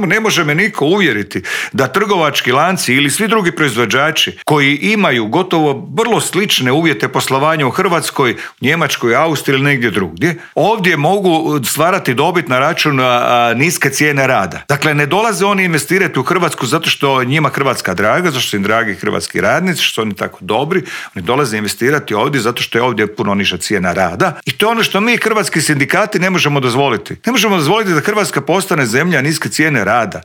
Ne može me niko uvjeriti da trgovački lanci ili svi drugi proizvođači koji imaju gotovo vrlo slične uvjete poslovanja u Hrvatskoj, Njemačkoj, Austriji ili negdje drugdje, ovdje mogu stvarati dobit na račun niske cijene rada. Dakle, ne dolaze oni investirati u Hrvatsku zato što njima Hrvatska draga, zato što su im dragi hrvatski radnici, što su oni tako dobri. Oni dolaze investirati ovdje zato što je ovdje puno niža cijena rada. I to je ono što mi hrvatski sindikati ne možemo dozvoliti. Ne možemo dozvoliti da Hrvatska postane zemlja niske cijene rada.